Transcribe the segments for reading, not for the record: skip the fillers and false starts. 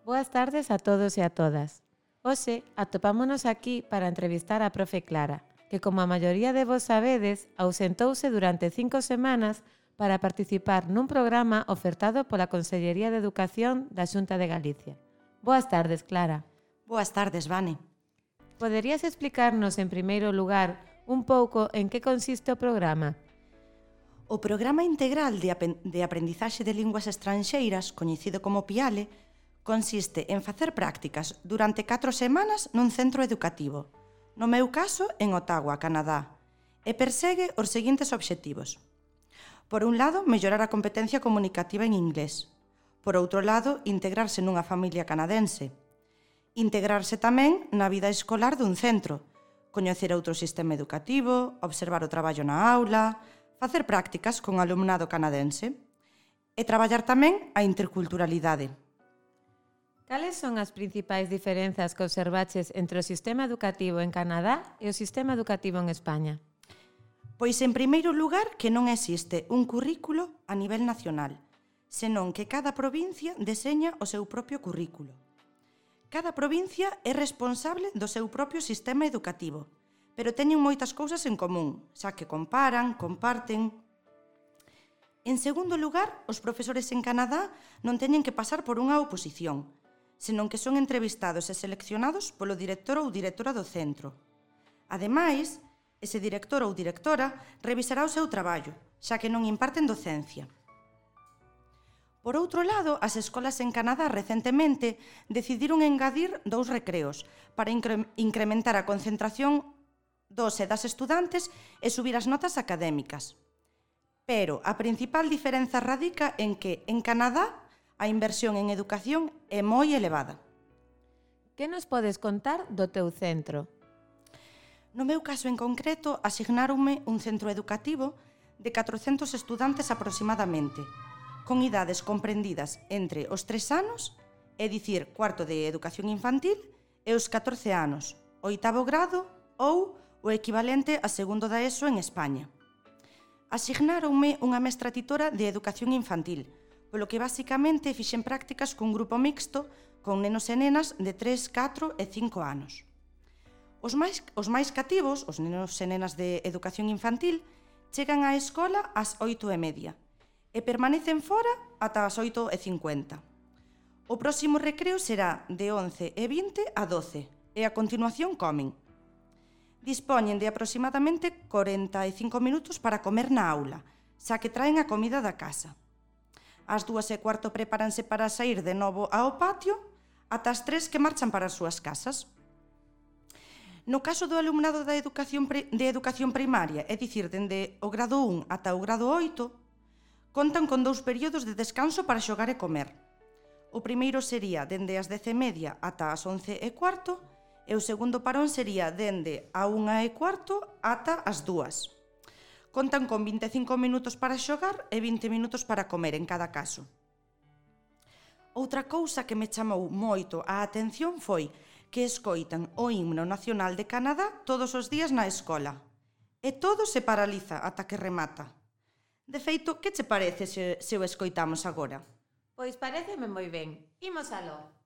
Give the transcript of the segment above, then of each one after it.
Boas tardes a todos e a todas. Hoxe atopámonos aquí para entrevistar a profe Clara, que como a maioría de vos sabedes, ausentouse durante 5 semanas para participar nun programa ofertado pola Consellería de Educación da Xunta de Galicia. Boas tardes, Clara. Boas tardes, Vane. Poderías explicarnos, en primeiro lugar, un pouco en que consiste o programa? O Programa Integral de Aprendizaxe de Linguas Estranxeiras, coñecido como PIALE, consiste en facer prácticas durante 4 semanas nun centro educativo, no meu caso en Ottawa, Canadá, e persegue os seguintes obxectivos. Por un lado, mellorar a competencia comunicativa en inglés. Por outro lado, integrarse nunha familia canadense. Integrarse tamén na vida escolar dun centro, coñecer outro sistema educativo, observar o traballo na aula, facer prácticas con alumnado canadense e traballar tamén a interculturalidade. Cales son as principais diferenzas que observaches entre o sistema educativo en Canadá e o sistema educativo en España? Pois, en primeiro lugar, que non existe un currículo a nivel nacional, senón que cada provincia deseña o seu propio currículo. Cada provincia é responsable do seu propio sistema educativo, pero teñen moitas cousas en común, xa que comparan, comparten. En segundo lugar, os profesores en Canadá non teñen que pasar por unha oposición, senón que son entrevistados e seleccionados polo director ou directora do centro. Ademais, ese director ou directora revisará o seu traballo, xa que non imparten docencia. Por outro lado, as escolas en Canadá recentemente decidiron engadir 2 recreos para incrementar a concentración dos e das estudantes e subir as notas académicas. Pero a principal diferenza radica en que, en Canadá, a inversión en educación é moi elevada. Que nos podes contar do teu centro? No meu caso en concreto, asignáronme un centro educativo de 400 estudantes aproximadamente, con idades comprendidas entre os 3 anos, é dicir, cuarto de educación infantil, e os 14 anos, oitavo grado ou o equivalente a segundo da ESO en España. Asignáronme unha mestra titora de educación infantil, polo que basicamente fixen prácticas cun grupo mixto con nenos e nenas de 3, 4 e 5 anos. Os máis cativos, os nenos e nenas de educación infantil, chegan á escola ás 8:30 e permanecen fora ata as 8:50. O próximo recreo será de 11:20 a 12 e a continuación comen. Dispoñen de aproximadamente 45 minutos para comer na aula, xa que traen a comida da casa. Ás 2:15 prepáranse para saír de novo ao patio, ata as 3 que marchan para as súas casas. No caso do alumnado de educación primaria, é dicir, dende o grado 1 ata o grado 8, contan con 2 períodos de descanso para xogar e comer. O primeiro sería dende as 10:30 ata as 11:15 e o segundo parón sería dende a 1:15 ata as 2. Contan con 25 minutos para xogar e 20 minutos para comer en cada caso. Outra cousa que me chamou moito a atención foi que escoitan o himno nacional de Canadá todos os días na escola. E todo se paraliza ata que remata. De feito, que che parece se o escoitamos agora? Pois paréceme moi ben. Imos aló.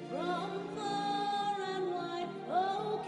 From far and wide, oh,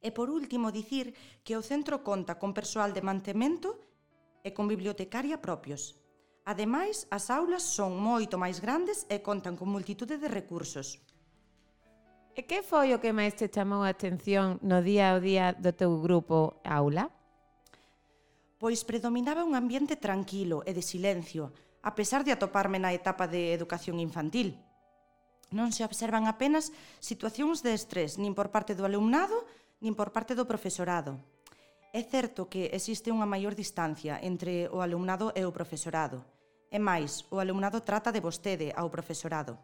E por último, dicir que o centro conta con persoal de mantemento e con bibliotecaria propios. Ademais, as aulas son moito máis grandes e contan con multitude de recursos. E que foi o que máis te chamou a atención no día ao día do teu grupo aula? Pois predominaba un ambiente tranquilo e de silencio, a pesar de atoparme na etapa de educación infantil. Non se observan apenas situacións de estrés, nin por parte do alumnado, nin por parte do profesorado. É certo que existe unha maior distancia entre o alumnado e o profesorado. E máis, o alumnado trata de vostede ao profesorado.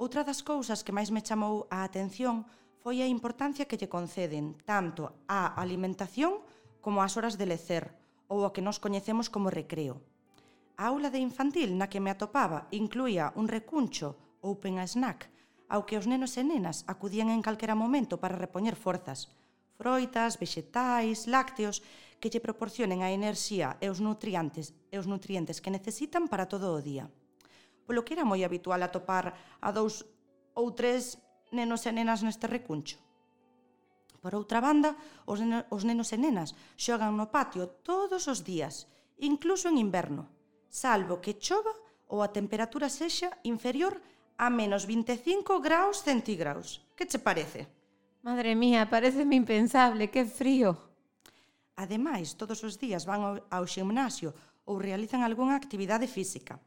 Outra das cousas que máis me chamou a atención foi a importancia que lle conceden tanto á alimentación como ás horas de lecer, ou o que nós coñecemos como recreo. A aula de infantil na que me atopaba incluía un recuncho open a snack, ao que os nenos e nenas acudían en calquera momento para repoñer forzas, froitas, vexetais, lácteos, que lle proporcionen a enerxía e os nutrientes que necesitan para todo o día. Polo que era moi habitual atopar a 2 ou 3 nenos e nenas neste recuncho. Por outra banda, os nenos e nenas xogan no patio todos os días, incluso en inverno, salvo que chova ou a temperatura sexa inferior a menos 25 graus centígrados. Que che parece? Madre mía, pareceme impensable, que frío. Ademais, todos os días van ao ximnasio ou realizan algunha actividade física.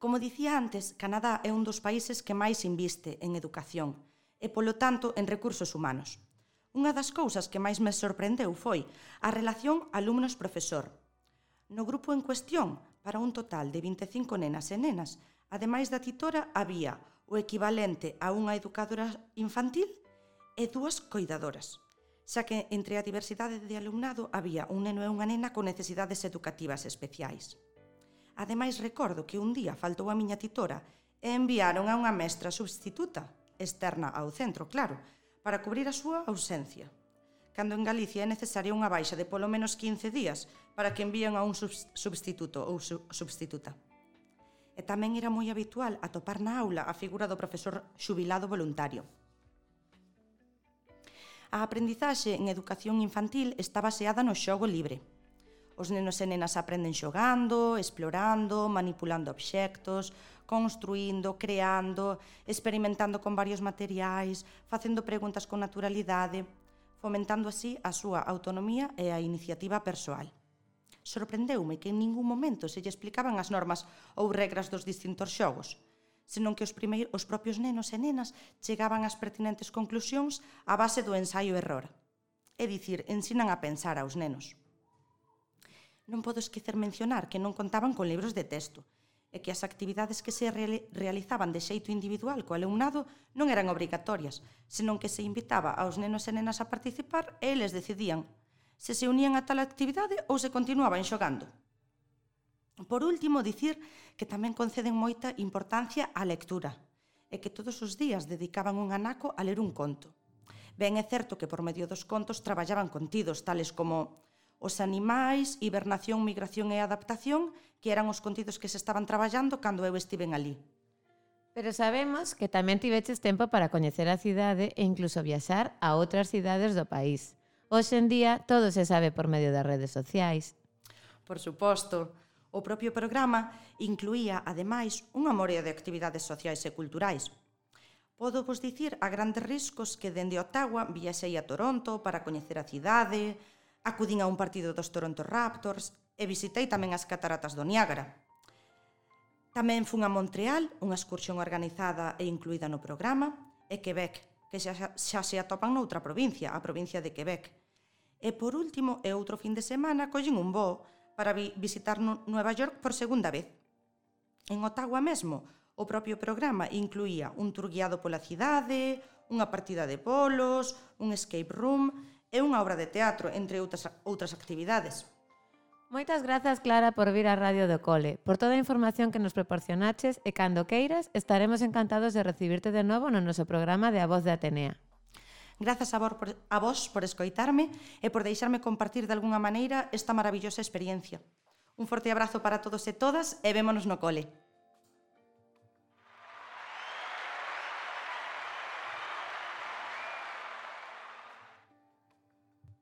Como dicía antes, Canadá é un dos países que máis inviste en educación e, polo tanto, en recursos humanos. Unha das cousas que máis me sorprendeu foi a relación alumnos-profesor. No grupo en cuestión, para un total de 25 nenas e nenas, ademais da titora, había o equivalente a unha educadora infantil e 2 coidadoras, xa que entre a diversidade de alumnado había un neno e unha nena con necesidades educativas especiais. Ademais, recordo que un día faltou a miña titora e enviaron a unha mestra substituta, externa ao centro, claro, para cubrir a súa ausencia, cando en Galicia é necesaria unha baixa de polo menos 15 días para que envíen a un substituto ou substituta. E tamén era moi habitual atopar na aula a figura do profesor xubilado voluntario. A aprendizaxe en educación infantil está baseada no xogo libre. Os nenos e nenas aprenden xogando, explorando, manipulando obxectos, construindo, creando, experimentando con varios materiais, facendo preguntas con naturalidade, fomentando así a súa autonomía e a iniciativa persoal. Sorprendeume que en ningún momento se lle explicaban as normas ou regras dos distintos xogos, senón que os propios nenos e nenas chegaban ás pertinentes conclusións a base do ensaio-error. É dicir, ensinan a pensar aos nenos. Non podo esquecer mencionar que non contaban con libros de texto e que as actividades que se realizaban de xeito individual co alumnado non eran obrigatorias, senón que se invitaba aos nenos e nenas a participar e eles decidían se unían a tal actividade ou se continuaban xogando. Por último, dicir que tamén conceden moita importancia á lectura e que todos os días dedicaban un anaco a ler un conto. Ben, é certo que por medio dos contos traballaban contidos tales como os animais, hibernación, migración e adaptación, que eran os contidos que se estaban traballando cando eu estiven ali. Pero sabemos que tamén tiveches tempo para coñecer a cidade e incluso viaxar a outras cidades do país. Hoxe en día todo se sabe por medio das redes sociais. Por suposto. O propio programa incluía, ademais, unha morea de actividades sociais e culturais. Podo vos dicir a grandes riscos que dende Ottawa viaxei a Toronto para coñecer a cidade, acudín a un partido dos Toronto Raptors e visitei tamén as cataratas do Niágara. Tamén fun a Montreal, unha excursión organizada e incluída no programa, e Quebec, que xa se atopan noutra provincia, a provincia de Quebec. E por último, e outro fin de semana, collín un voo para visitar Nueva York por segunda vez. En Ottawa mesmo, o propio programa incluía un tour guiado pola cidade, unha partida de bolos, un escape room e unha obra de teatro, entre outras actividades. Moitas grazas, Clara, por vir á Radio do Cole, por toda a información que nos proporcionaches e cando queiras estaremos encantados de recibirte de novo no noso programa de A Voz de Atenea. Grazas a vos por escoitarme e por deixarme compartir de algunha maneira esta maravillosa experiencia. Un forte abrazo para todos e todas e vémonos no cole.